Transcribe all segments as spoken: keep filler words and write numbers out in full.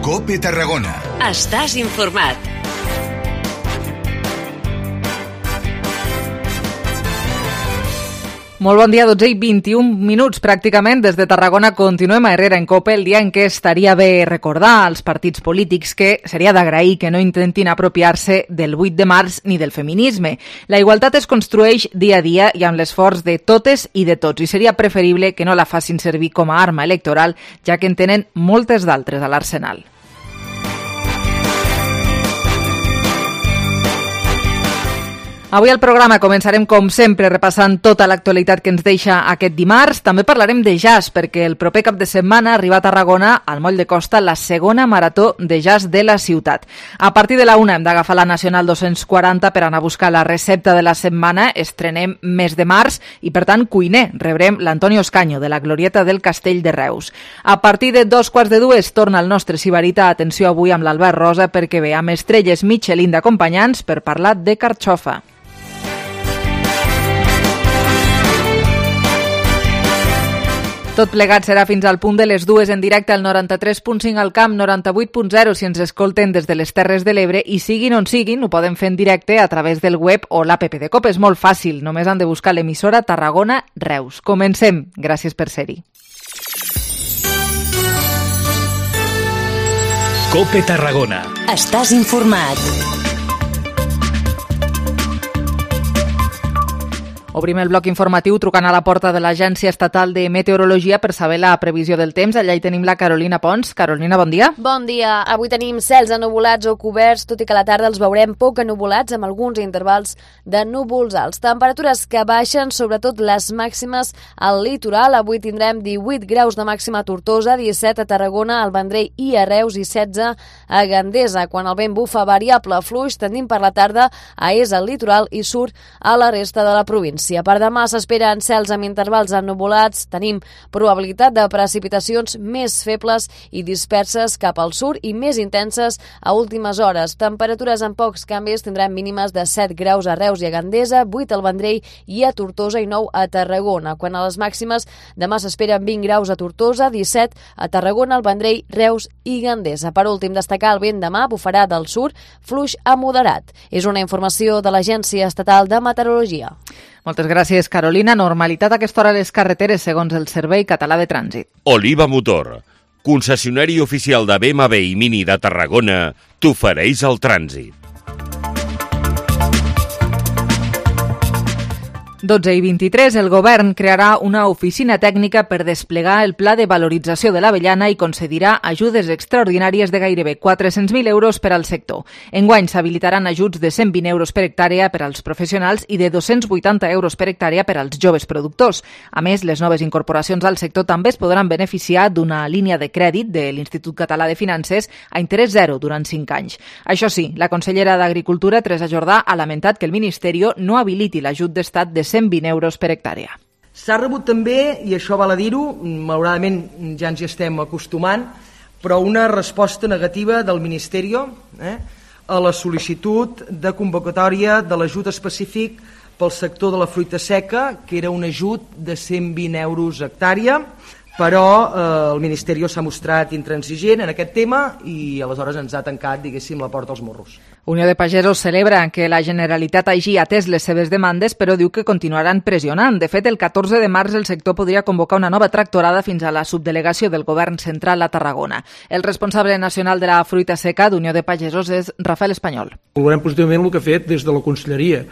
COPE Tarragona. Estàs informat. Molt bon dia, dotze i vint-i-un minuts pràcticament. Des de Tarragona continuem a Herrera en COPE, el dia en què estaria bé recordar als partits polítics que seria d'agrair que no intentin apropiar-se del vuit de març ni del feminisme. La igualtat es construeix dia a dia i amb l'esforç de totes i de tots, i seria preferible que no la facin servir com a arma electoral, ja que en tenen moltes d'altres a l'arsenal. Avui al programa començarem, com sempre, repassant tota l'actualitat que ens deixa aquest dimarts. També parlarem de jazz, perquè el proper cap de setmana arriba a Tarragona, al Moll de Costa, la segona marató de jazz de la ciutat. A partir de la una hem d'agafar la Nacional dos-cents quaranta per anar a buscar la recepta de la setmana. Estrenem mes de març i, per tant, cuiner. Rebrem l'Antonio Escaño, de la Glorieta del Castell de Reus. A partir de dos quarts de dues torna el nostre Sibarita. Atenció avui amb l'Albert Rosa, perquè ve amb estrelles Michelin d'acompanyants per parlar de carxofa. Tot plegat serà fins al punt de les dues en directe al noranta-tres punt cinc al Camp, noranta-vuit punt zero si ens escolten des de les Terres de l'Ebre, i siguin on siguin, ho poden fer en directe a través del web o l'app de COPE. És molt fàcil, només han de buscar l'emissora Tarragona Reus. Comencem. Gràcies per ser-hi. COPE Tarragona. Estàs informat. Obrim el bloc informatiu trucant a la porta de l'Agència Estatal de Meteorologia per saber la previsió del temps. Allà hi tenim la Carolina Pons. Carolina, bon dia. Bon dia. Avui tenim cels ennuvolats o coberts, tot i que a la tarda els veurem poc ennuvolats amb alguns intervals de núvols alts. Temperatures que baixen, sobretot les màximes al litoral. Avui tindrem divuit graus de màxima a Tortosa, disset a Tarragona, al Vendrell i a Reus i setze a Gandesa. Quan el vent bufa variable fluix, tendint per la tarda a és al litoral i surt a la resta de la província. Per demà s'esperen cels amb intervals ennuvolats, tenim probabilitat de precipitacions més febles i disperses cap al sud i més intenses a últimes hores. Temperatures amb pocs canvis, tindrem mínimes de set graus a Reus i a Gandesa, vuit al Vendrell i a Tortosa i nou a Tarragona. Quan a les màximes, demà s'esperen vint graus a Tortosa, disset a Tarragona, al Vendrell, Reus i Gandesa. Per últim, destacar el vent demà bufarà del sud, fluix a moderat. És una informació de l'Agència Estatal de Meteorologia. Moltes gràcies, Carolina. Normalitat a aquesta hora a les carreteres, segons el Servei Català de Trànsit. Oliva Motor, concessionari oficial de B M W i Mini de Tarragona, t'ofereix el trànsit. dotze i vint-i-tres, el govern crearà una oficina tècnica per desplegar el pla de valorització de l'avellana i concedirà ajudes extraordinàries de gairebé quatre-cents mil euros per al sector. Enguany s'habilitaran ajuts de cent vint euros per hectàrea per als professionals i de dos-cents vuitanta euros per hectàrea per als joves productors. A més, les noves incorporacions al sector també es podran beneficiar d'una línia de crèdit de l'Institut Català de Finances a interès zero durant cinc anys. Això sí, la consellera d'Agricultura, Teresa Jordà, ha lamentat que el Ministeri no habiliti l'ajut d'estat de cent vint euros per hectàrea. S'ha rebut també, i això val a dir-ho, malauradament ja ens hi estem acostumant, però una resposta negativa del Ministeri eh, a la sol·licitud de convocatòria de l'ajut específic pel sector de la fruita seca, que era un ajut de cent vint euros hectàrea, però eh, el Ministeri s'ha mostrat intransigent en aquest tema i aleshores ens ha tancat, diguéssim, la porta als morros. Unió de Pagesos celebra que la Generalitat hagi atès les seves demandes, però diu que continuaran pressionant. De fet, el catorze de març el sector podria convocar una nova tractorada fins a la subdelegació del Govern Central a Tarragona. El responsable nacional de la fruita seca d'Unió de Pagesos és Rafael Espanyol. Valorem positivament el que ha fet des de la Conselleria,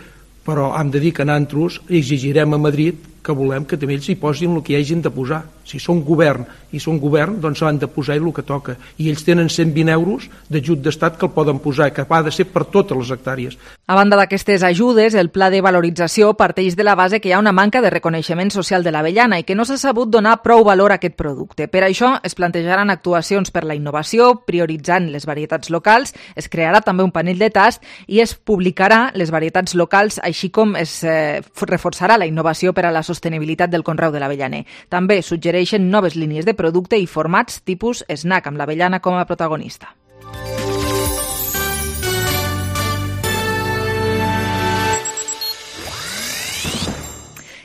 però hem de dir que nosaltres exigirem a Madrid que volem que també ells hi posin el que hi hagin de posar. Si són govern i són govern, doncs s'han de posar el que toca. I ells tenen cent vint euros d'ajut d'estat que el poden posar, que ha de ser per totes les hectàrees. A banda d'aquestes ajudes, el pla de valorització parteix de la base que hi ha una manca de reconeixement social de l'avellana i que no s'ha sabut donar prou valor a aquest producte. Per això es plantejaran actuacions per la innovació, prioritzant les varietats locals, es crearà també un panell de tast i es publicarà les varietats locals, així com es eh, reforçarà la innovació per a la sostenibilitat del conreu de l'avellaner. També suggereixen noves línies de producte i formats tipus snack amb l'avellana com a protagonista.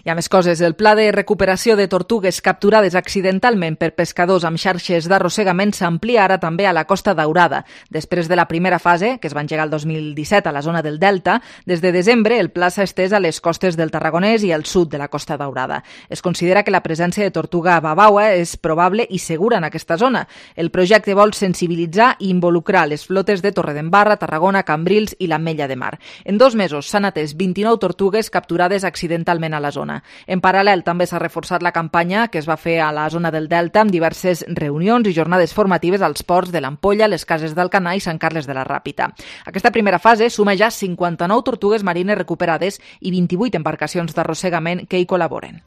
I Hi ha més coses. El pla de recuperació de tortugues capturades accidentalment per pescadors amb xarxes d'arrossegament s'amplia ara també a la Costa Daurada. Després de la primera fase, que es va engegar el dos mil disset a la zona del Delta, des de desembre el pla s'ha estès a les costes del Tarragonès i al sud de la Costa Daurada. Es considera que la presència de tortuga babaua és probable i segura en aquesta zona. El projecte vol sensibilitzar i involucrar les flotes de Torredembarra, Tarragona, Cambrils i l'Ametlla de Mar. En dos mesos s'han atès vint-i-nou tortugues capturades accidentalment a la zona. En paral·lel, també s'ha reforçat la campanya que es va fer a la zona del Delta amb diverses reunions i jornades formatives als ports de l'Ampolla, les Cases d'Alcanar i Sant Carles de la Ràpita. Aquesta primera fase suma ja cinquanta-nou tortugues marines recuperades i vint-i-vuit embarcacions d'arrossegament que hi col·laboren.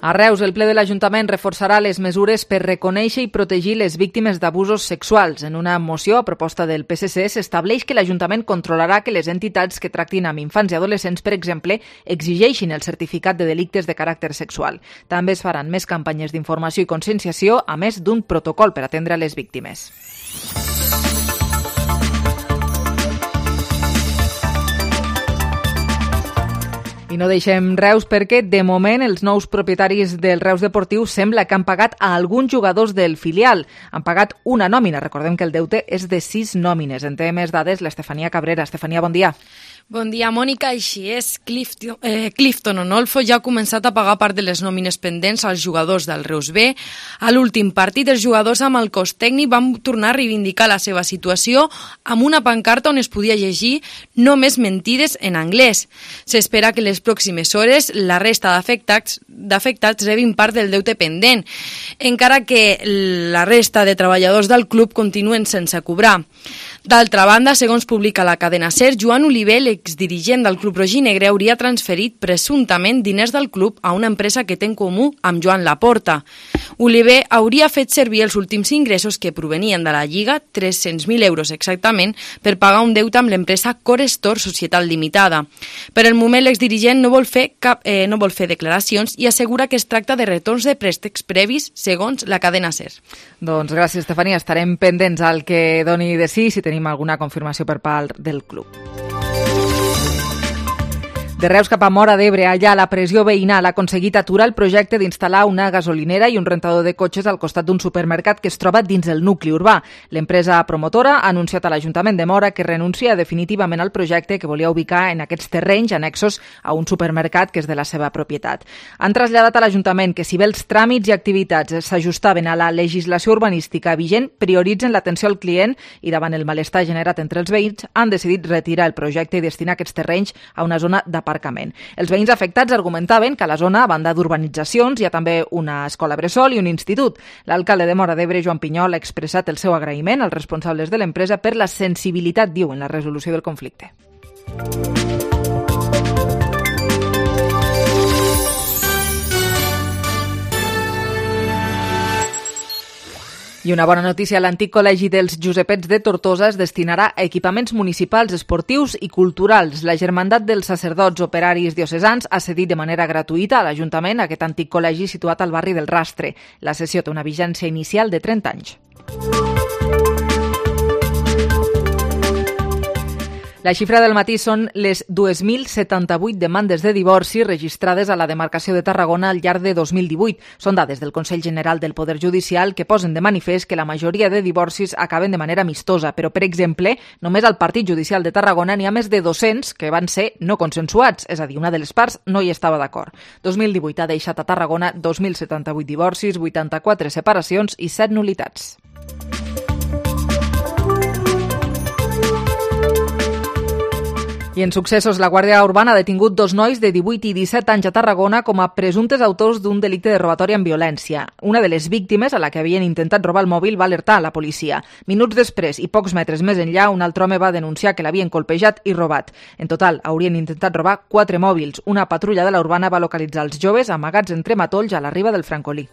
A Reus, el ple de l'Ajuntament reforçarà les mesures per reconèixer i protegir les víctimes d'abusos sexuals. En una moció a proposta del P S C s'estableix que l'Ajuntament controlarà que les entitats que tractin amb infants i adolescents, per exemple, exigeixin el certificat de delictes de caràcter sexual. També es faran més campanyes d'informació i conscienciació, a més d'un protocol per atendre les víctimes. I no deixem Reus perquè, de moment, els nous propietaris del Reus Deportiu sembla que han pagat a alguns jugadors del filial. Han pagat una nòmina. Recordem que el deute és de sis nòmines. En té més dades l'Estefania Cabrera. Estefania, bon dia. Bon dia, Mònica. Així és, Clifton, eh, Clifton Onolfo ja ha començat a pagar part de les nòmines pendents als jugadors del Reus B. A l'últim partit, els jugadors amb el cos tècnic van tornar a reivindicar la seva situació amb una pancarta on es podia llegir "no més mentides" en anglès. S'espera que les pròximes hores la resta d'afectats d'afectats rebin part del deute pendent, encara que la resta de treballadors del club continuen sense cobrar. D'altra banda, segons publica la cadena SER, Joan Oliver, l'exdirigent del club rojinegre, hauria transferit presumptament diners del club a una empresa que té en comú amb Joan Laporta. Oliver hauria fet servir els últims ingressos que provenien de la Lliga, tres-cents mil euros exactament, per pagar un deute amb l'empresa Corestor Societat Limitada. Per el moment, l'exdirigent no vol fer cap, eh, no vol fer declaracions i assegura que es tracta de retorns de préstecs previs, segons la cadena SER. Doncs gràcies, Estefania. Estarem pendents al que doni de sí, si tenim alguna confirmació per part del club. De Reus cap a Móra d'Ebre, allà la pressió veïnal ha aconseguit aturar el projecte d'instal·lar una gasolinera i un rentador de cotxes al costat d'un supermercat que es troba dins el nucli urbà. L'empresa promotora ha anunciat a l'Ajuntament de Móra que renuncia definitivament al projecte que volia ubicar en aquests terrenys annexos a un supermercat que és de la seva propietat. Han traslladat a l'Ajuntament que si bé els tràmits i activitats s'ajustaven a la legislació urbanística vigent, prioritzen l'atenció al client i davant el malestar generat entre els veïns han decidit retirar el projecte i destinar aquests terrenys a una zona de aparcament. Els veïns afectats argumentaven que a la zona, a banda d'urbanitzacions, hi ha també una escola bressol i un institut. L'alcalde de Móra d'Ebre, Joan Pinyol, ha expressat el seu agraïment als responsables de l'empresa per la sensibilitat, diu, en la resolució del conflicte. I una bona notícia, l'antic col·legi dels Josepets de Tortosa es destinarà a equipaments municipals, esportius i culturals. La Germandat dels Sacerdots Operaris Diocesans ha cedit de manera gratuïta a l'Ajuntament aquest antic col·legi situat al barri del Rastre. La cessió té una vigència inicial de trenta anys. La xifra del matí són les dos mil setanta-vuit demandes de divorci registrades a la demarcació de Tarragona al llarg de dos mil divuit. Són dades del Consell General del Poder Judicial que posen de manifest que la majoria de divorcis acaben de manera amistosa, però, per exemple, només al Partit Judicial de Tarragona n'hi ha més de dos-cents que van ser no consensuats, és a dir, una de les parts no hi estava d'acord. dos mil divuit ha deixat a Tarragona dos mil setanta-vuit divorcis, vuitanta-quatre separacions i set nul·litats. I en successos, la Guàrdia Urbana ha detingut dos nois de divuit i disset anys a Tarragona com a presumptes autors d'un delicte de robatori amb violència. Una de les víctimes, a la que havien intentat robar el mòbil, va alertar a la policia. Minuts després i pocs metres més enllà, un altre home va denunciar que l'havien colpejat i robat. En total, haurien intentat robar quatre mòbils. Una patrulla de la Urbana va localitzar els joves amagats entre matolls a la riba del Francolí.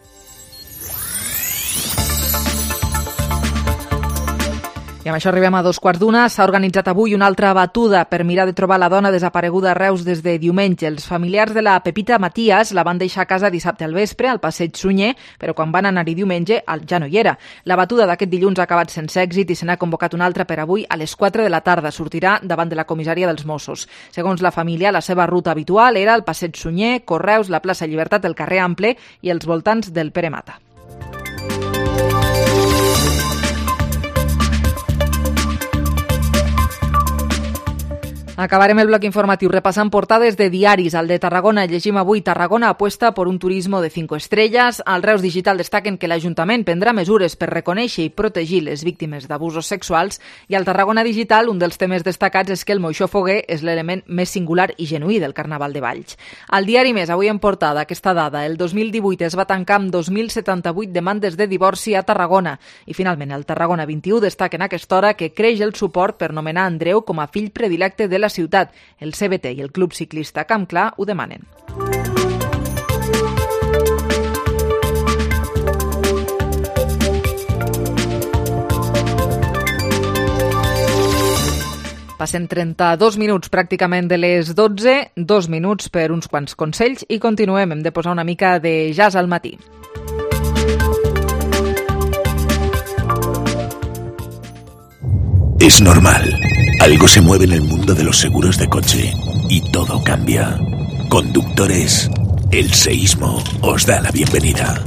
I amb això arribem a dos quarts d'una. S'ha organitzat avui una altra batuda per mirar de trobar la dona desapareguda a Reus des de diumenge. Els familiars de la Pepita Matías la van deixar a casa dissabte al vespre, al passeig Sunyer, però quan van anar-hi diumenge ja no hi era. La batuda d'aquest dilluns ha acabat sense èxit i se n'ha convocat una altra per avui a les quatre de la tarda. Sortirà davant de la comissaria dels Mossos. Segons la família, la seva ruta habitual era el passeig Sunyer, Correus, la plaça Llibertat, el carrer Ample i els voltants del Pere Mata. Acabarem el bloc informatiu repassant portades de diaris. Al de Tarragona llegim avui: Tarragona apuesta por un turismo de cinco estrellas. Al Reus Digital destaquen que l'Ajuntament prendrà mesures per reconèixer i protegir les víctimes d'abusos sexuals. I al Tarragona Digital un dels temes destacats és que el moixó foguer és l'element més singular i genuí del Carnaval de Valls. Al diari Més, avui en portada, aquesta dada: el dos mil divuit es va tancar amb dos mil setanta-vuit demandes de divorci a Tarragona. I finalment, el Tarragona vint-i-u destaca en aquesta hora que creix el suport per nomenar Andreu com a fill predilecte de la ciutat. El C B T i el Club Ciclista Camp Clar ho demanen. Passen trenta-dos minuts pràcticament de les dotze, dos minuts per uns quants consells i continuem. Hem de posar una mica de jazz al matí. Es normal. Algo se mueve en el mundo de los seguros de coche y todo cambia. Conductores, el seísmo os da la bienvenida.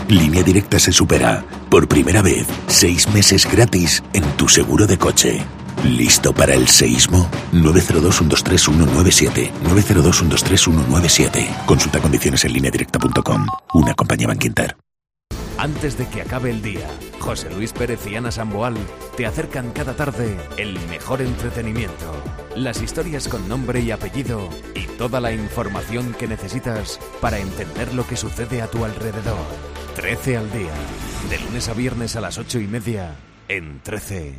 Línea Directa se supera. Por primera vez, seis meses gratis en tu seguro de coche. ¿Listo para el seísmo? nueve cero dos, uno dos tres, uno nueve siete. nueve cero dos, uno dos tres, uno nueve siete. Consulta condiciones en línea directa punto com. Una compañía Bankinter. Antes de que acabe el día, José Luis Pérez y Ana Samboal te acercan cada tarde el mejor entretenimiento, las historias con nombre y apellido y toda la información que necesitas para entender lo que sucede a tu alrededor. trece al día, de lunes a viernes a las ocho y media, en trece.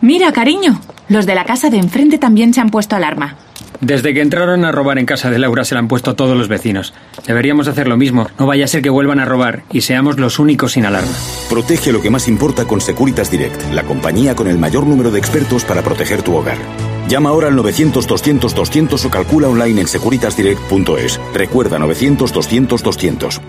Mira, cariño, los de la casa de enfrente también se han puesto alarma. Desde que entraron a robar en casa de Laura se la han puesto todos los vecinos. Deberíamos hacer lo mismo. No vaya a ser que vuelvan a robar y seamos los únicos sin alarma. Protege lo que más importa con Securitas Direct, la compañía con el mayor número de expertos para proteger tu hogar. Llama ahora al novecientos, doscientos, doscientos o calcula online en securitas direct punto es. Recuerda, novecientos, doscientos, doscientos.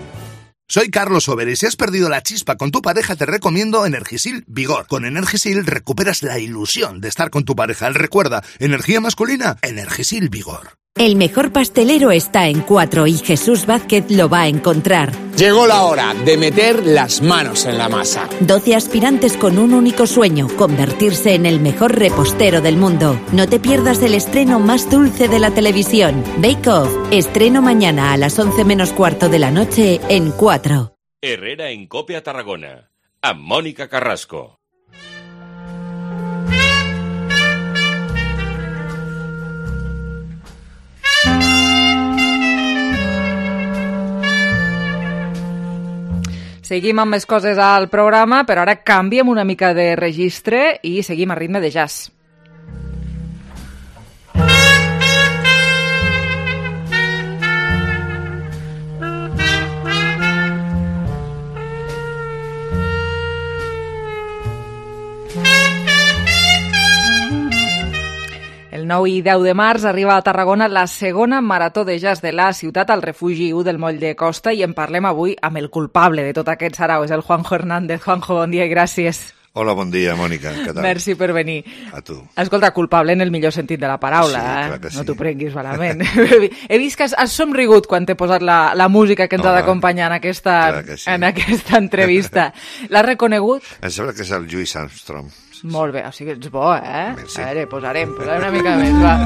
Soy Carlos Over y si has perdido la chispa con tu pareja te recomiendo Energisil Vigor. Con Energisil recuperas la ilusión de estar con tu pareja. Recuerda, energía masculina, Energisil Vigor. El mejor pastelero está en Cuatro y Jesús Vázquez lo va a encontrar. Llegó la hora de meter las manos en la masa. doce aspirantes con un único sueño, convertirse en el mejor repostero del mundo. No te pierdas el estreno más dulce de la televisión. Bake Off, estreno mañana a las once menos cuarto de la noche en Cuatro. Herrera en Cope a Tarragona, amb Mònica Carrasco. Seguim amb més coses al programa, però ara canviem una mica de registre i seguim a ritme de jazz. El nou i deu de març arriba a Tarragona la segona marató de jazz de la ciutat al refugi u del Moll de Costa i en parlem avui amb el culpable de tot aquest sarau, és el Juanjo Hernández. Juanjo, bon dia i gràcies. Hola, bon dia, Mònica. Què tal? Merci per venir. A tu. Escolta, culpable en el millor sentit de la paraula, sí, eh? Clar que sí. No t'ho prenguis malament. He vist que has, has somrigut quan t'he posat la, la música que ens Home, ha d'acompanyar en, aquesta, sí. en aquesta entrevista. L'has reconegut? Em sembla que és el Louis Armstrong. Molt bé, o sigui, ets bo, eh? Sí. A veure, posarem, posarem una mica més, va.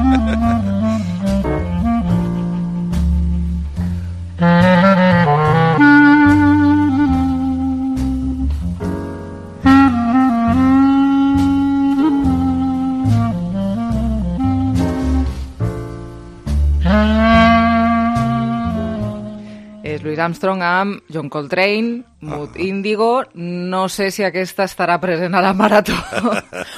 És Louis Armstrong amb John Coltrane, Mood ah. Índigo. No sé si aquesta estarà present a la marató.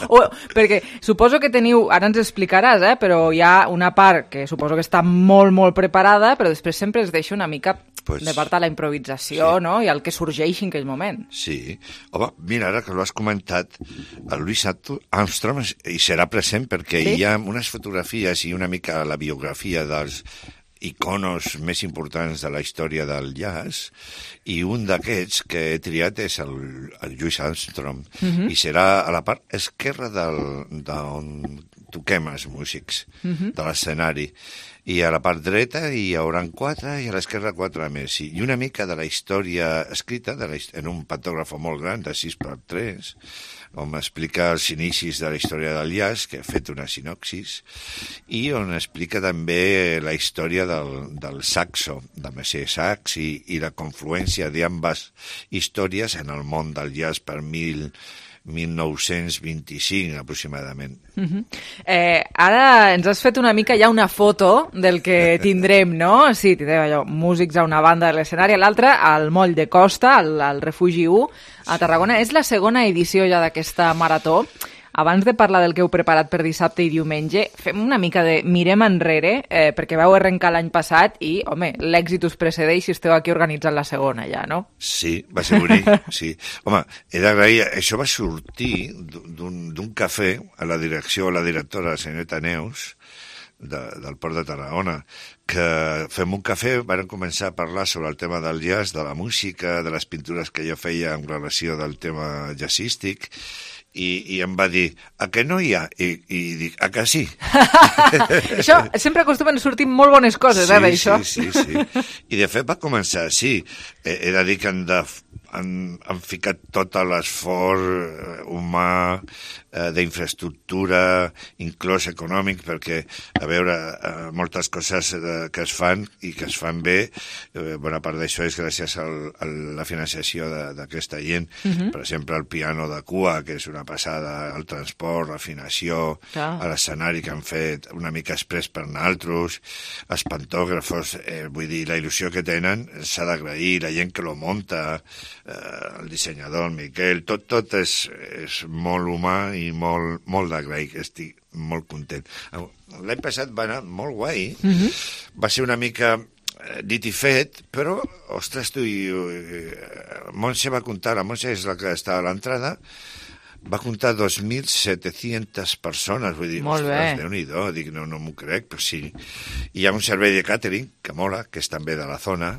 o, perquè suposo que teniu, ara ens explicaràs, eh, però hi ha una part que suposo que està molt, molt preparada, però després sempre es deixa una mica pues, de part de la improvisació, sí. no?, i el que sorgeixi en aquell moment. Sí. Home, mira, ara que l'ho has comentat, el Louis Armstrong hi serà present perquè sí? hi ha unes fotografies i una mica la biografia dels iconos més importants de la història del jazz, i un d'aquests que he triat és el, el Louis Armstrong, uh-huh. i serà a la part esquerra d'on toquem els músics, uh-huh. de l'escenari. I a la part dreta hi haurà quatre i a l'esquerra quatre més. I una mica de la història escrita de la, en un pantògraf molt gran de sis per tres, on explica els inicis de la història del jazz, que ha fet una sinopsis, i on explica també la història del, del saxo, de Messier Sax, i, i la confluència d'ambes històries en el món del jazz per mil... mil nou-cents vint-i-cinc, aproximadament. Uh-huh. Eh, ara ens has fet una mica ja una foto del que tindrem, no? Sí, tindrem allò, músics a una banda de l'escenari, a l'altra, al Moll de Costa, al, al Refugi u, a Tarragona. És la segona edició ja d'aquesta marató. Abans de parlar del que heu preparat per dissabte i diumenge, fem una mica de mirem enrere, eh, perquè vau arrencar l'any passat i, home, l'èxit us precedeix si esteu aquí organitzant la segona ja, no? Sí, va ser bonic, sí. Home, he d'agrair, això va sortir d'un cafè a la direcció, a la directora, la senyoreta Neus, de, del Port de Tarragona, que fem un cafè, van començar a parlar sobre el tema del jazz, de la música, de les pintures que jo feia en relació del tema jazzístic, I, i em va dir, a que no hi ha? I, i dic, a que sí? Això sempre acostumen a sortir molt bones coses, sí, eh, d'això? Sí, sí, sí. I de fet va començar així. He, he de dir que han, de, han, han ficat tot l'esforç humà, eh, d'infraestructura, inclòs econòmic, perquè, a veure, eh, moltes coses eh, que es fan i que es fan bé, eh, bona part d'això és gràcies al, a la financiació d'aquesta gent. Uh-huh. Per exemple, el piano de cua, que és una passada, el transport, l'afinació, a l'escenari que han fet una mica express per nosaltres, els pantògrafos, eh, vull dir, la il·lusió que tenen s'ha d'agrair, la gent que lo munta, eh, el dissenyador, el Miquel, tot, tot és, és molt humà i molt, molt d'agrair, estic molt content. L'any passat va anar molt guai, uh-huh. va ser una mica dit i fet, però, ostres, tu, i, uh, Montse va comptar, la Montse és la que està a l'entrada, va comptar dos mil set-centes persones, vull dir, molt ostres, Déu-n'hi-do, dic, no, no m'ho crec, però sí. Hi ha un servei de càtering, que mola, que és també de la zona,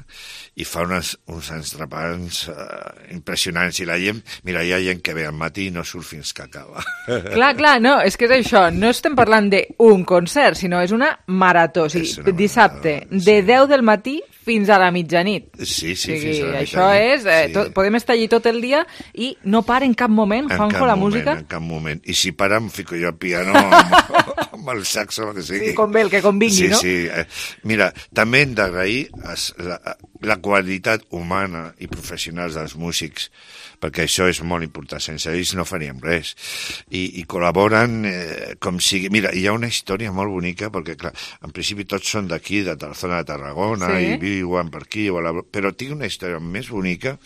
i fa unes, uns entrepans uh, impressionants, i la gent, mira, hi ha gent que ve al matí i no surt fins que acaba. Clar, clar, no, és que és això, no estem parlant d'un concert, sinó és una marató, o sigui, una dissabte, marató, sí. de deu del matí fins a la mitjanit. Sí, sí, o sigui, fins a la mitjanit. Això és, eh, sí. tot, podem estar allí tot el dia i no para en cap moment, en Juanjo, cap la moment, música. En cap moment. I si para, em fico jo al piano amb, amb el saxo, el que sigui. Sí, com bé, el que convingui, sí, no? Sí, sí. Mira, també hem d'agrair la, la qualitat humana i professional dels músics, perquè això és molt important, sense ells no faríem res. I, i col·laboren eh, com sigui. Mira, hi ha una història molt bonica, perquè, clar, en principi tots són d'aquí, de la zona de Tarragona, sí. i viuen per aquí, però tinc una història més bonica.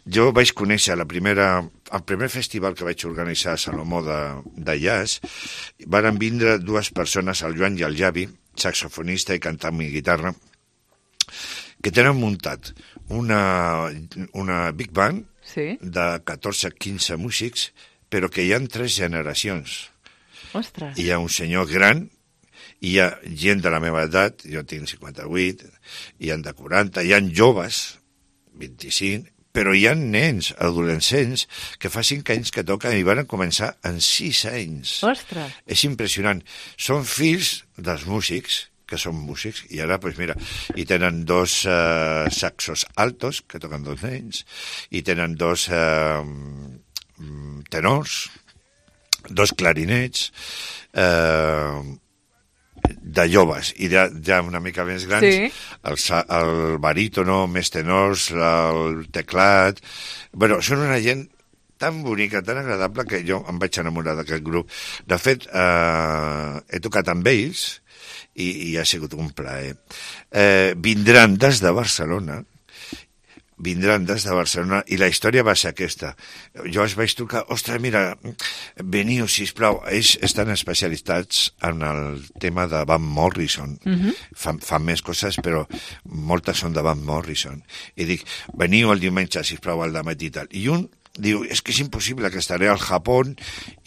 Jo vaig conèixer la primera, el primer festival que vaig organitzar a Salomó de, de jazz, van vindre dues persones, el Joan i el Javi, saxofonista i cantant i guitarra, que tenen muntat una, una big band, sí. de catorze a quinze músics, però que hi ha tres generacions. Ostres. Hi ha un senyor gran, hi ha gent de la meva edat, jo tinc cinquanta-vuit, hi ha de quaranta, hi ha joves, vint-i-cinc, però hi ha nens, adolescents, que fa cinc anys que toquen i van començar en sis anys. Ostres. És impressionant. Són fills dels músics, que són músics, i ara, doncs mira, i tenen dos uh, saxos altos, que toquen dos nens, i tenen dos uh, tenors, dos clarinets, uh, de joves, i ja, ja una mica més grans, sí. el, el barítono, més tenors, el teclat... Bueno, són una gent tan bonica, tan agradable, que jo em vaig enamorar d'aquest grup. De fet, eh, he tocat amb ells, i, i ha sigut un plaer. Eh, vindran des de Barcelona, vindran des de Barcelona i la història va ser aquesta. Jo els vaig trucar, ostres, mira, veniu, sisplau. Ells estan especialitzats en el tema de Van Morrison. Uh-huh. Fan, fan més coses, però moltes són de Van Morrison. I dic, veniu el diumenge, sisplau, al dematí i tal. I un diu, és que és impossible, que estaré al Japó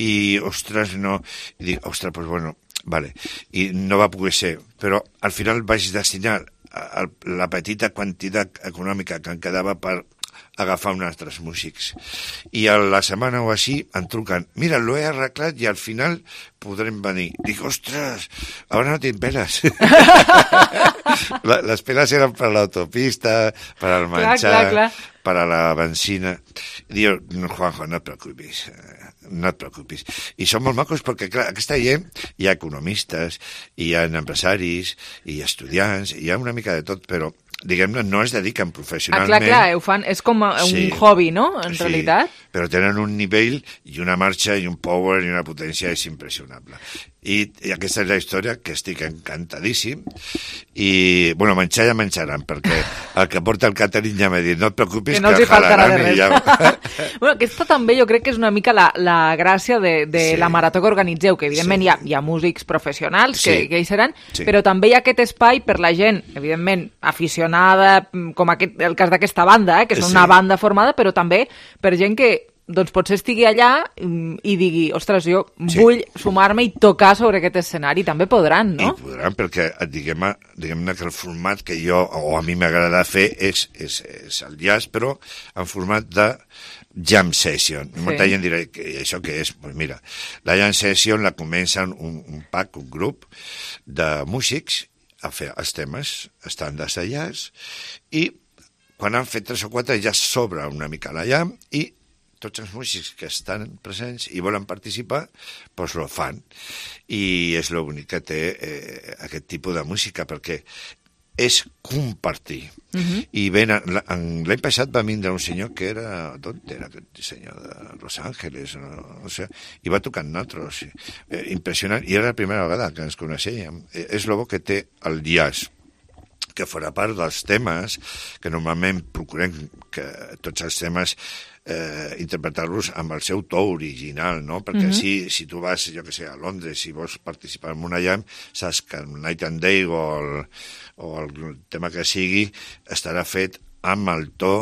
i, ostres, no... I dic, ostres, doncs bueno, vale. I no va poder ser, però al final vaig destinar la petita quantitat econòmica que em quedava per agafar uns altres músics. I a la setmana o així em truquen, mira, l'ho he arreglat i al final podrem venir. Dic, ostres, ara no tinc peles. Les peles eren per l'autopista, per al menjar, clar, clar, clar. Per a la benzina. Diu, no, Juanjo, no et preocupis, no et preocupis. I són molt macos perquè, clar, aquesta gent hi ha economistes, hi ha empresaris, hi ha estudiants, hi ha una mica de tot, però diguem-ne, no es dediquen professionalment. Ah, clar, clar, ho fan, és com un sí, hobby, no?, en sí, realitat. Però tenen un nivell i una marxa i un power i una potència és impressionable. I, i aquesta és la història, que estic encantadíssim. I, bueno, menjar ja menjaran, perquè el que porta el catering ja m'ha dit, no et preocupis, que, que no els hi faltarà de res. Ja... bueno, aquesta també jo crec que és una mica la, la gràcia de, de sí. la marató que organitzeu, que evidentment sí. hi, ha, hi ha músics professionals que, sí. que hi seran, sí. però també hi ha aquest espai per la gent, evidentment, aficionada, com aquest, el cas d'aquesta banda, eh, que és sí. una banda formada, però també per gent que doncs potser estigui allà i digui, ostres, jo sí. vull sumar-me i tocar sobre aquest escenari. També podran, no? I podran, perquè diguem-ne diguem que el format que jo, o a mi m'agrada fer, és, és, és el jazz, però en format de jam session. Sí. Molta gent dirà, que això què és? Pues mira, la jam session la comencen un, un pack, un grup de músics a fer els temes estàndards de jazz, i quan han fet tres o quatre ja s'obre una mica la jam i tots els músics que estan presents i volen participar, doncs ho fan. I és l'únic que té eh, aquest tipus de música, perquè és compartir. Uh-huh. I ben, l'any passat va vindre un senyor que era, d'on era aquest senyor? De Los Angeles, no, no sé, i va tocar nosaltres. Eh, impressionant, i era la primera vegada que ens coneixíem. Eh, és el bo que té el jazz, que fora part dels temes, que normalment procurem que tots els temes eh, interpretar-los amb el seu to original, no? Perquè mm-hmm. si, si tu vas, jo que sé, a Londres, si vols participar en una jam, saps que el Night and Day o el, o el tema que sigui estarà fet amb el to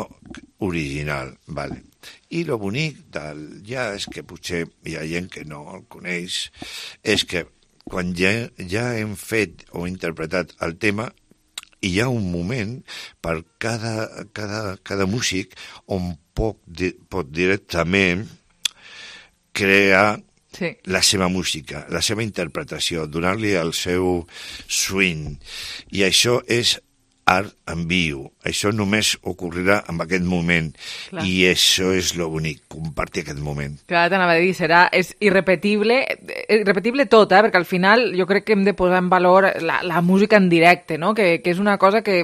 original, vale. I el bonic del jazz, que potser hi ha gent que no el coneix, és que quan ja, ja hem fet o interpretat el tema, hi ha un moment per cada, cada, cada músic on pot, pot directament crear sí. la seva música, la seva interpretació, donar-li el seu swing. I això és art en viu. Això només ocorrerà en aquest moment. Clar. I això és lo bonic, compartir aquest moment. Clar, t'anava a dir, serà, és irrepetible, irrepetible tot, eh? Perquè al final jo crec que hem de posar en valor la, la música en directe, no? Que, que és una cosa que,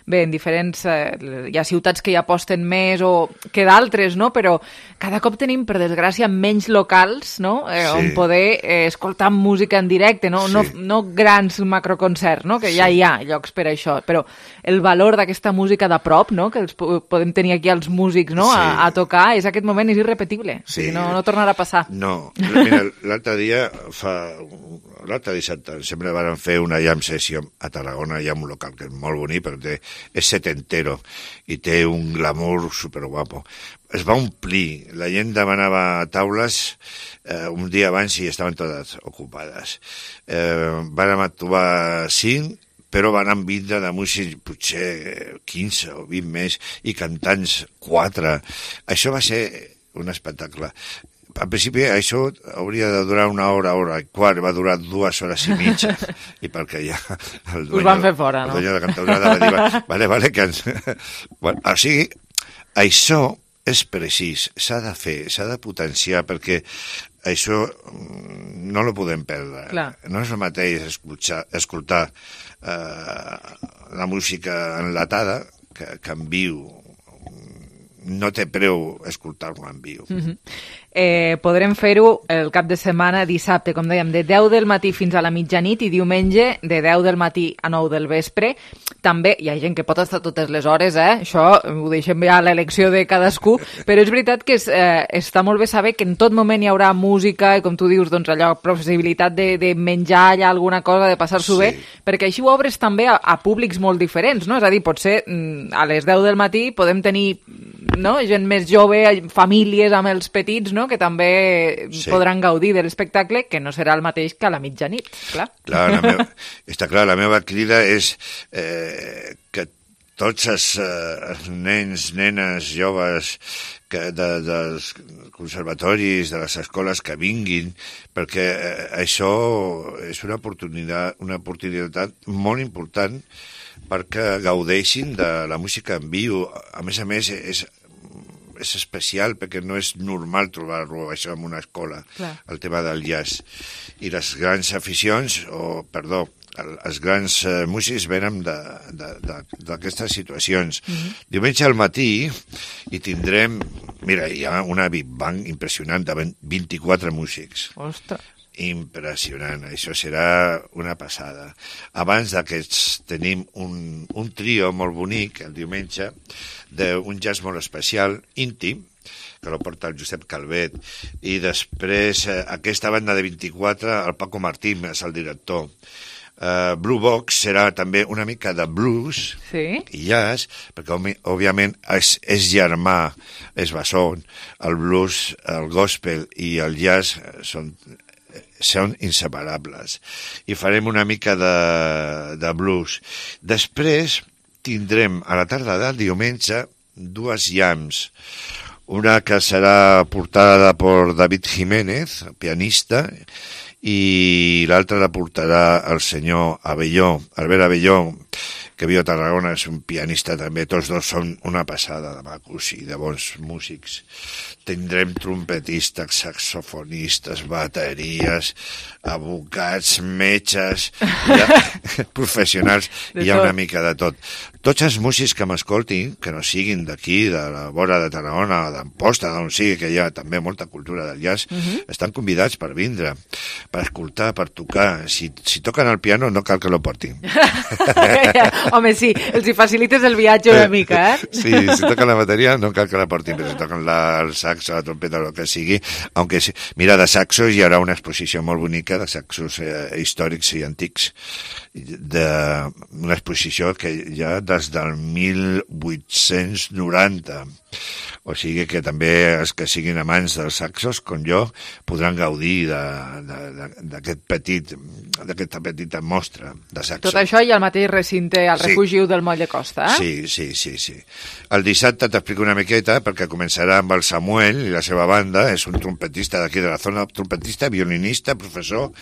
bé, en diferents... Eh, hi ha ciutats que hi aposten més o que d'altres, no? Però cada cop tenim, per desgràcia, menys locals, no? Eh, sí. On poder eh, escoltar música en directe, no? Sí. No, no grans macroconcerts, no? Que ja sí. hi ha llocs per això, però el valor d'aquesta música de prop, no? Que els podem tenir aquí els músics, no? Sí. A, a tocar, és aquest moment és irrepetible. Sí. O sigui, no, no tornarà a passar. No. Mira, l'altre dia, fa... l'altre dissabte, sempre van fer una jam session a Tarragona, hi ha un local que és molt bonic, però té, és setentero i té un glamour superguapo. Es va omplir, la gent demanava taules eh, un dia abans i estaven totes ocupades. Eh, van actuar cinc, però van amb vindre de músics potser quinze o vint més i cantants quatre. Això va ser un espectacle. Al principi això hauria de durar una hora, hora i quart, va durar dues hores i mitja. I perquè ja... El dueño, us van fer fora, no? El dueño de Cantaurada va dir, vale, vale, que ens... Bueno, o sigui, això és precís, s'ha de fer, s'ha de potenciar, perquè això no lo podem perdre. Clar. No és el mateix escoltar, escoltar eh, la música enlatada que, que en viu no té preu escoltar-lo en viu. Mm-hmm. Eh, podrem fer-ho el cap de setmana, dissabte, com dèiem, de deu del matí fins a la mitjanit i diumenge de deu del matí a nou del vespre. També hi ha gent que pot estar totes les hores, eh? Això ho deixem ja a l'elecció de cadascú, però és veritat que és, eh, està molt bé saber que en tot moment hi haurà música i, com tu dius, doncs allò, possibilitat de, de menjar allà alguna cosa, de passar-s'ho Sí. bé, perquè així ho obres també a, a públics molt diferents, no? És a dir, potser mm, a les deu del matí podem tenir, no?, gent més jove, famílies amb els petits, no?, que també Sí. podran gaudir de l'espectacle, que no serà el mateix que a la mitjanit, clar. Clar, la meva, està clar, la meva crida és eh, que tots els, eh, els nens, nenes, joves que de, dels conservatoris, de les escoles que vinguin, perquè eh, això és una oportunitat, una oportunitat molt important perquè gaudeixin de la música en viu. A més a més, és és especial perquè no és normal trobar-lo això en una escola, Clar. el tema del jazz. I les grans aficions, o perdó, el, els grans eh, músics venen d'aquestes situacions. Mhm. Diumenge al matí hi tindrem, mira, hi ha una Big Bang impressionant de vint-i-quatre músics. Ostres. Impressionant, això serà una passada. Abans d'aquests tenim un, un trio molt bonic el diumenge d'un jazz molt especial, íntim, que lo porta el Josep Calvet, i després eh, aquesta banda de vint-i-quatre, el Paco Martín és el director. Uh, Blue Box serà també una mica de blues sí. i jazz, perquè òbviament és, és germà, és bessó, el blues, el gospel i el jazz són són inseparables, i farem una mica de, de blues. Després tindrem a la tarda del diumenge dues jams, una que serà portada per David Jiménez, pianista, i l'altra la portarà el senyor Abelló, Albert Abelló, que viu a Tarragona, és un pianista també. Tots dos són una passada de macos i de bons músics. Tindrem trompetistes, saxofonistes, bateries, advocats, metges, ha, professionals, hi ha una mica de tot. Tots els músics que m'escoltin, que no siguin d'aquí, de la vora de Tarragona o d'Amposta, d'on sigui, que hi ha també molta cultura del jazz, Mhm. estan convidats per vindre, per escoltar, per tocar. Si, si toquen el piano no cal que lo portin. Home, sí, els hi facilites el viatge una mica, eh? Sí, si toquen la bateria no cal que la portin, però si toquen la, el saxo, la trompeta, el que sigui, aunque sí, mira, de saxos hi haurà una exposició molt bonica de saxos eh, històrics i antics, de, una exposició que hi ha des del mil vuit-cents noranta, o sigui que també els que siguin amants dels saxos, com jo, podran gaudir d'aquest petit, d'aquesta petita mostra de saxos. Tot això i al mateix recinte, al Sí. refugi del Moll de Costa, eh? Sí, sí, sí, sí. El dissabte t'explico una miqueta, perquè començarà amb el Samuel i la seva banda, és un trompetista d'aquí de la zona, trompetista, violinista, professor,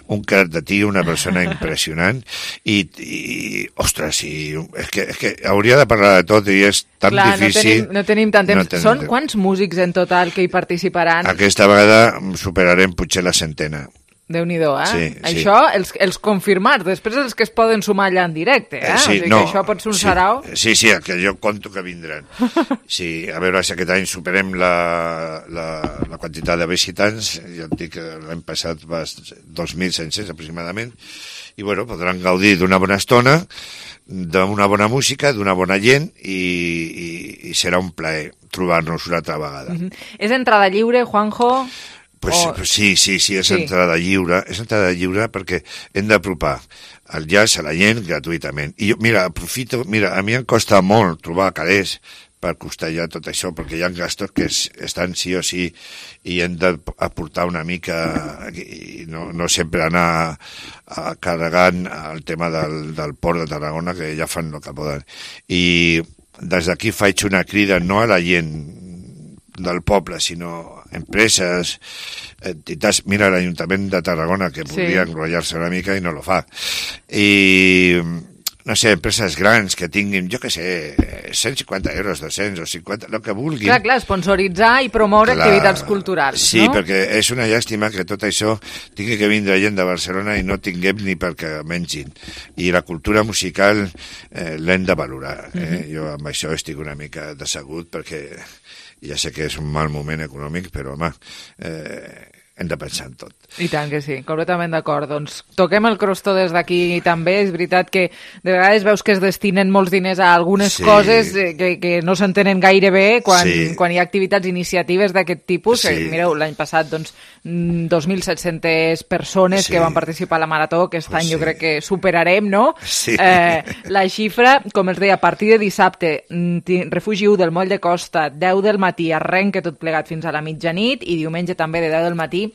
un crac de tio, una persona impressionant, i, i ostres, i, és, que, és que hauria de parlar de tot i és tan Clar, difícil. no tenim, no tenim tant temps. No tenim Són temps. quants músics en total que hi participaran? Aquesta vegada superarem potser la centena. Déu-n'hi-do, eh? Sí, sí. Això, els, els confirmats, després els que es poden sumar allà en directe, eh? Eh, sí, o sigui no, que això pot ser un sí, sarau. Sí, sí, que jo conto que vindran. Sí, a veure si aquest any superem la, la, la quantitat de visitants, ja et dic que l'any passat va dos mil cinc-cents aproximadament, i bueno, podran gaudir d'una bona estona, d'una bona música, d'una bona gent, i, i, i serà un plaer trobar-nos una altra vegada. Mhm. És entrada lliure, Juanjo? Pues, O- pues sí, sí, sí, és Sí. entrada lliure, és entrada lliure perquè hem d'apropar el jazz a la gent gratuïtament. I jo, mira, aprofito, mira, a mi em costa molt trobar calés per costellar tot això, perquè hi ha gastos que es, estan sí o sí i hem d'aportar una mica i no, no sempre anar a, carregant el tema del, del port de Tarragona, que ja fan el que poden. I des d'aquí faig una crida no a la gent del poble, sinó empreses, entitats. Mira, l'Ajuntament de Tarragona, que podria Sí. enrotllar-se una mica i no lo fa. I no sé, empreses grans que tinguin, jo què sé, cent cinquanta euros, dos-cents o cinquanta, el que vulguin. Clar, clar, sponsoritzar i promoure clar, activitats culturals, sí, no? Sí, perquè és una llàstima que tot això tingui que vindre gent de Barcelona i no tinguem ni perquè mengin. I la cultura musical eh, l'hem de valorar. Eh? Mm-hmm. Jo amb això estic una mica decebut perquè ja sé que és un mal moment econòmic, però home, eh, hem de pensar en tot. I tant que sí, completament d'acord. Doncs toquem el crostó des d'aquí també. És veritat que de vegades veus que es destinen molts diners a algunes sí. coses que, que no s'entenen gaire bé quan, sí. quan hi ha activitats, iniciatives d'aquest tipus. Sí. Que, mireu, l'any passat, doncs, dos mil set-centes persones sí. que van participar a la Marató. Aquest any sí. jo crec que superarem, no? Sí. Eh, la xifra, com els deia, a partir de dissabte, Refugi u del Moll de Costa, deu del matí, arrenca tot plegat fins a la mitjanit, i diumenge també de deu del matí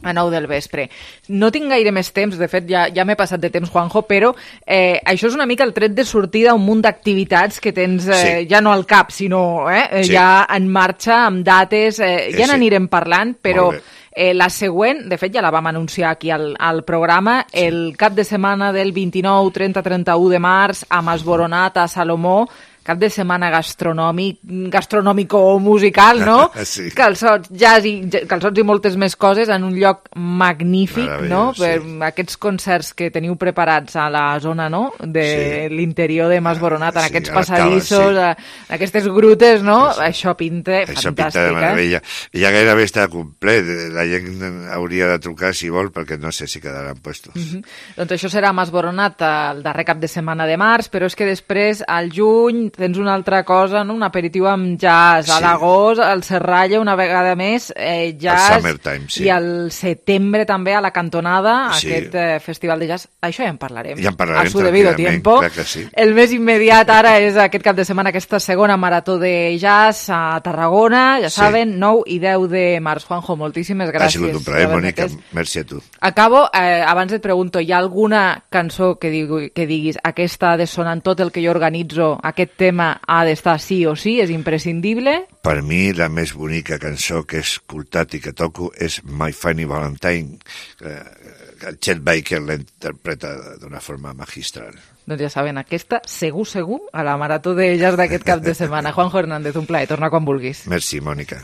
a nou del vespre. No tinc gaire més temps, de fet ja, ja m'he passat de temps, Juanjo, però eh, això és una mica el tret de sortida a un munt d'activitats que tens eh, sí. ja no al cap, sinó eh, sí. ja en marxa, amb dates, eh, ja sí. n'anirem parlant, però eh, la següent, de fet ja la vam anunciar aquí al, al programa, sí. el cap de setmana del vint-i-nou, trenta, trenta-u de març, a Masboronat, a Salomó, cap de setmana gastronòmic, gastronòmico-musical, no? Sí. Calçots, jazz i, calçots i moltes més coses en un lloc magnífic, no? Per sí. aquests concerts que teniu preparats a la zona, no? De sí. l'interior de Masboronat, en sí, aquests passadissos, sí. en aquestes grutes, no? Sí, sí. Això pinta Això fantàstic, pinta de meravella. Eh? Ja gairebé està complet. La gent hauria de trucar si vol, perquè no sé si quedaran puestos. Mm-hmm. Doncs això serà a Masboronat el darrer cap de setmana de març, però és que després, al juny, tens una altra cosa, no? Un aperitiu amb jazz, sí. a l'agost, al Serralla una vegada més, eh, jazz, el Summertime, sí. i al setembre també a la Cantonada, sí. aquest eh, festival de jazz. Això ja en parlarem. Ja en parlarem a su debido tiempo. Sí. El més immediat ara és aquest cap de setmana, aquesta segona marató de jazz a Tarragona, ja sí. saben, nou i deu de març. Juanjo, moltíssimes gràcies. Ha sigut un plaer, Mònica. Merci a tu. Acabo, eh, abans et pregunto, hi ha alguna cançó que, digui, que diguis aquesta ha de sonar en tot el que jo organitzo, aquest tema ha d'estar sí o sí, és imprescindible? Per mi, la més bonica cançó que he escoltat i que toco és My Funny Valentine. El Chet Baker l'interpreta d'una forma magistral. Doncs ja saben, aquesta, segur, segur, a la marató de jazz d'aquest cap de setmana. Juanjo Hernández, un plaer, torna quan vulguis. Merci, Mònica.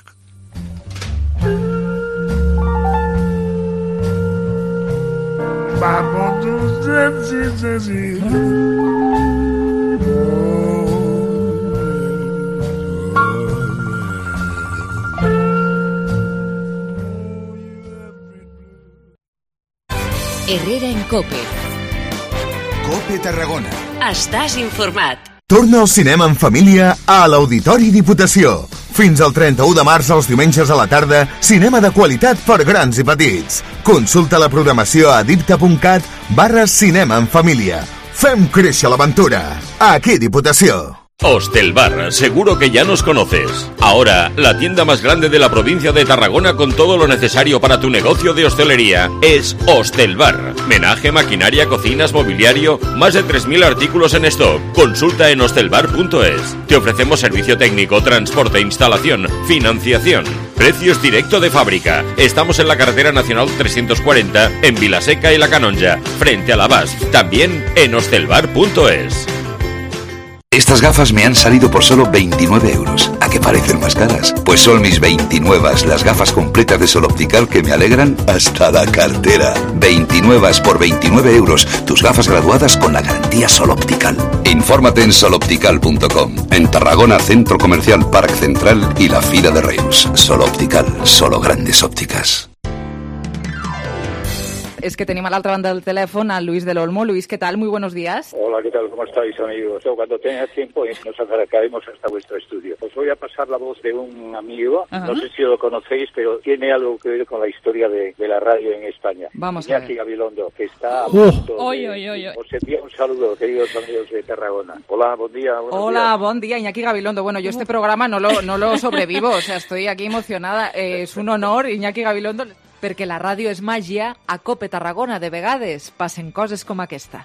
Herrera en Cope. Cope Tarragona. Estàs informat. Torna al cinema en família a l'Auditori Diputació. Fins al trenta-u de març, els diumenges a la tarda, cinema de qualitat per grans i petits. Consulta la programació a dipta.cat barra cinema en família. Fem créixer l'aventura. Aquí Diputació. Hostelbar, seguro que ya nos conoces. Ahora, la tienda más grande de la provincia de Tarragona con todo lo necesario para tu negocio de hostelería es Hostelbar. Menaje, maquinaria, cocinas, mobiliario, más de tres mil artículos en stock. Consulta en hostelbar punto es. Te ofrecemos servicio técnico, transporte, instalación, financiación. Precios directo de fábrica. Estamos en la carretera nacional trescientos cuarenta en Vilaseca y La Canonja, frente a la B A S. También en hostelbar punto es. Estas gafas me han salido por solo veintinueve euros. ¿A qué parecen más caras? Pues son mis veintinuevas, las gafas completas de Sol Optical que me alegran hasta la cartera. veintinuevas por veintinueve euros. Tus gafas graduadas con la garantía Sol Optical. Infórmate en sol optical punto com. En Tarragona, Centro Comercial Parc Central y la Fira de Reus. Sol Optical, solo grandes ópticas. Es que tenemos a la otra banda del teléfono a Luis del Olmo. Luis, ¿qué tal? Muy buenos días. Hola, ¿qué tal? ¿Cómo estáis, amigos? Cuando tengas tiempo nos acercaremos hasta vuestro estudio. Os voy a pasar la voz de un amigo, uh-huh. no sé si lo conocéis, pero tiene algo que ver con la historia de, de la radio en España. Vamos Iñaki a ver. Gabilondo, que está a Uh. punto Oy, de... oy, oy, oy. Os envío un saludo, queridos amigos de Tarragona. Hola, buen día. Hola, días. buen día, Iñaki Gabilondo. Bueno, yo este programa no lo, no lo sobrevivo, o sea, estoy aquí emocionada. Eh, es un honor, Iñaki Gabilondo, perquè la ràdio és màgia. A Cope Tarragona, de vegades, passen coses com aquesta.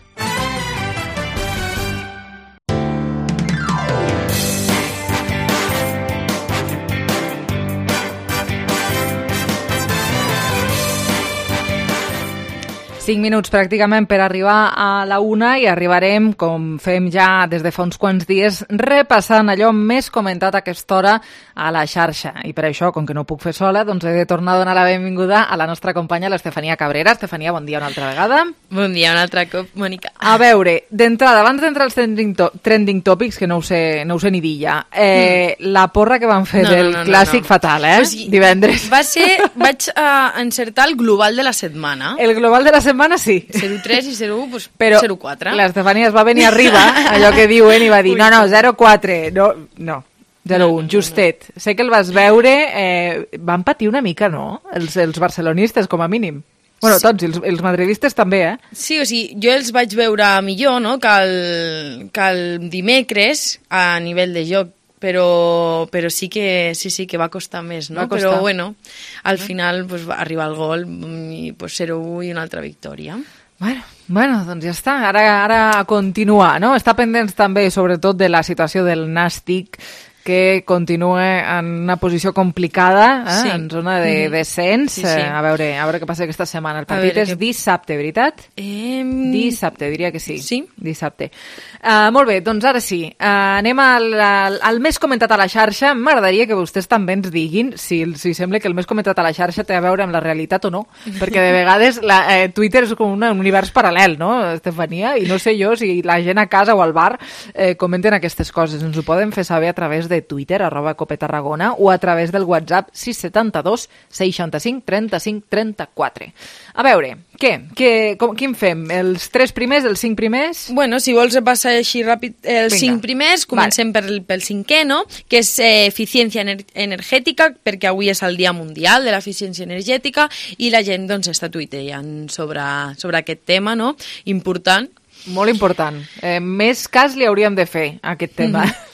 Cinc minuts pràcticament per arribar a la una i arribarem, com fem ja des de fa uns quants dies, repassant allò més comentat a aquesta hora a la xarxa. I per això, com que no ho puc fer sola, doncs he de tornar a donar la benvinguda a la nostra companya, l'Estefania Cabrera. Estefania, bon dia una altra vegada. Bon dia un altre cop, Mònica. A veure, d'entrada, abans d'entrar als trending, to trending topics, que no ho sé, no ho sé ni dir ja, eh, mm. la porra que van fer no, del no, no, clàssic no, no. fatal, eh? O sigui, divendres. Va ser, vaig uh, encertar el global de la setmana. El global de la setmana, sí. zero tres i zero u, doncs però zero quatre. L'Estefania es va venir arriba, allò que diuen, i va dir, no, no, zero quatre, no, no, zero un, no, no, justet. No, no. Sé que el vas veure, eh, van patir una mica, no?, els, els barcelonistes, com a mínim. Bueno, sí. Tots, els, els madridistes també, eh? Sí, o sigui, jo els vaig veure millor, no?, que el, que el dimecres, a nivell de joc, però, però sí que sí, sí que va costar més, no? Però bueno, al final pues, va arribar el gol i pues, zero u i una altra victòria. Bueno, bueno, doncs ja està. Ara, ara a continuar, no? Està pendents també, sobretot, de la situació del Nàstic, que continua en una posició complicada, eh? Sí. En zona de descens. Sí, sí. Eh, a, veure, a veure què passa aquesta setmana. El partit és que... dissabte, veritat? Eh... Dissabte, diria que sí. Sí? Dissabte. Uh, molt bé, doncs ara sí. Uh, anem al, al, al més comentat a la xarxa. M'agradaria que vostès també ens diguin si, si sembla que el més comentat a la xarxa té a veure amb la realitat o no, perquè de vegades la, eh, Twitter és com un univers paral·lel, no, Estefania? I no sé jo si la gent a casa o al bar eh, comenten aquestes coses. Ens ho poden fer saber a través de Twitter, arroba Cope Tarragona, o a través del WhatsApp sis set dos seixanta-cinc trenta-cinc trenta-quatre. A veure, què? què com, quin fem? Els tres primers, els cinc primers? Bueno, si vols repassar així ràpid els Vinga. cinc primers, comencem vale. pel, pel cinquè, no?, que és eh, eficiència ener energètica, perquè avui és el Dia Mundial de l'Eficiència Energètica i la gent doncs està tuiteant sobre, sobre aquest tema, no?, important. Molt important. Eh, més cas li hauríem de fer, a aquest tema. Mm-hmm.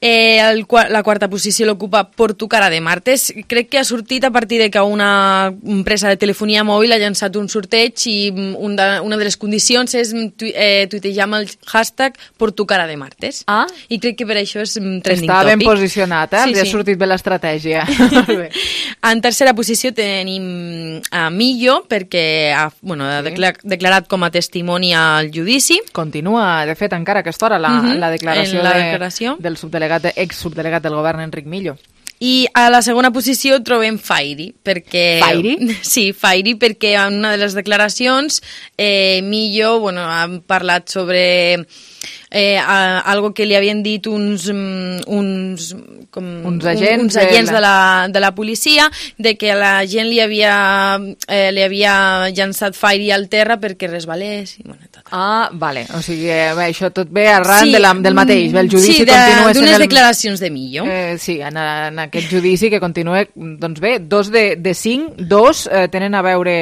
Eh, el, la quarta posició l'ocupa Porto Cara de Martes. Crec que ha sortit a partir de que una empresa de telefonia mòbil ha llançat un sorteig i un de, una de les condicions és tu, eh, tuitejar amb el hashtag Porto Cara de Martes. Ah. I crec que per això és trending Està topic. ben posicionat, eh? Sí, Li ha sí. sortit bé l'estratègia. En tercera posició tenim a Millo, perquè ha, bueno, ha sí. declarat, declarat com a testimoni al judici. Continua, de fet, encara a aquesta hora la, uh-huh. la declaració, la de, declaració. del subdelegat, ex-subdelegat del govern, Enric Millo. I a la segona posició trobem Fairy, perquè... Fairy? Sí, Fairy, perquè en una de les declaracions eh, Millo, bueno, ha parlat sobre eh, a, algo que li havien dit uns, uns, com, uns agents, uns agents de, la... de, la, de la policia, de que la gent li havia, eh, li havia llançat Fairy al terra perquè resbalés. I, bueno, tot. Ah, vale. O sigui, eh, això tot ve arran sí, de la, del mateix. El judici sí, continua d'unes el... declaracions de Millo. Eh, sí, en, en aquest judici que continua, doncs bé, dos de, de cinc, dos eh, tenen a veure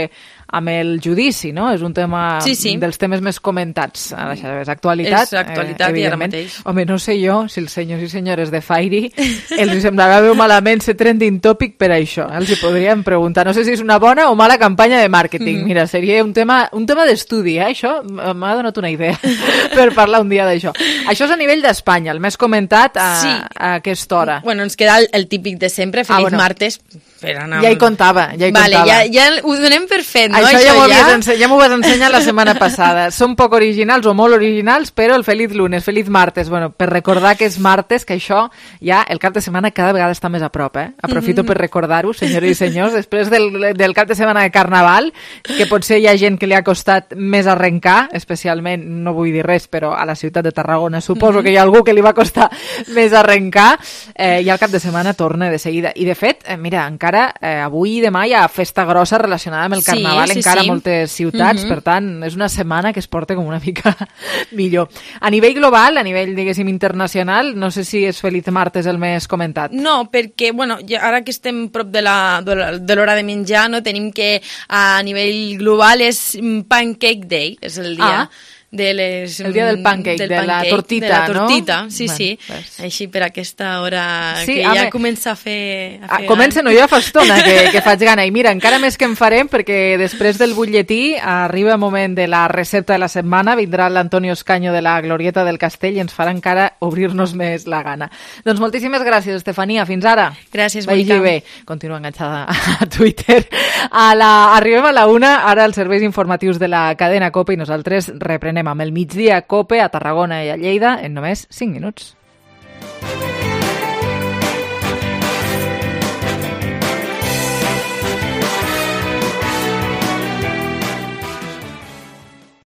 amb el judici, no? És un tema sí, sí. dels temes més comentats a la xarxa. És actualitat, és actualitat eh, i ara mateix. Home, no sé jo si els senyors i senyores de Fairy els semblava bé malament ser trending topic per això. Els hi podríem preguntar. No sé si és una bona o mala campanya de màrqueting. Mm. Mira, seria un tema, un tema d'estudi, eh? Això m'ha donat una idea per parlar un dia d'això. Això és a nivell d'Espanya, el més comentat a, sí. a aquesta hora. Bueno, ens queda el, el típic de sempre, Feliç ah, bueno. Martes. Per anar... Ja hi comptava, ja hi vale, comptava. Ja, ja ho donem per fet, no? Això, això ja, ja... Ense ja m'ho vas ensenyar la setmana passada. Són poc originals o molt originals, però el feliç lunes, feliç martes. Bueno, per recordar que és martes, que això ja el cap de setmana cada vegada està més a prop, eh? Aprofito mm-hmm. per recordar-ho, senyores i senyors, després del, del cap de setmana de Carnaval, que potser hi ha gent que li ha costat més arrencar, especialment, no vull dir res, però a la ciutat de Tarragona suposo mm-hmm. que hi ha algú que li va costar més arrencar, eh, i el cap de setmana torna de seguida. I de fet, eh, mira, encara eh, avui i demà hi ha festa grossa relacionada amb el Carnaval, sí, sí, encara sí. a moltes ciutats, mm-hmm. per tant, és una setmana que es porta com una mica millor. A nivell global, a nivell, diguéssim, internacional, no sé si és Feliç Martes el més comentat. No, perquè, bueno, ja, ara que estem prop de l'hora de menjar, no tenim que a nivell global és Pancake Day, és el dia... Ah. de les... El dia del pancake, del de la pancake, tortita, de la tortita, no? sí, Bueno, sí. pues. Així per aquesta hora Sí, que home. ja comença a fer... A Ah, fer comença, no, jo ja fa estona que, que faig gana. I mira, encara més que en farem, perquè després del butlletí arriba el moment de la recepta de la setmana, vindrà l'Antonio Escaño de la Glorieta del Castell i ens farà encara obrir-nos més la gana. Doncs moltíssimes gràcies, Estefania. Fins ara. Gràcies, Vagi Mónica. bé. Continua enganxada a Twitter. A la... Arribem a la una, ara els serveis informatius de la cadena COPE i nosaltres reprenem amb el migdia COPE a Tarragona i a Lleida en només cinc minuts.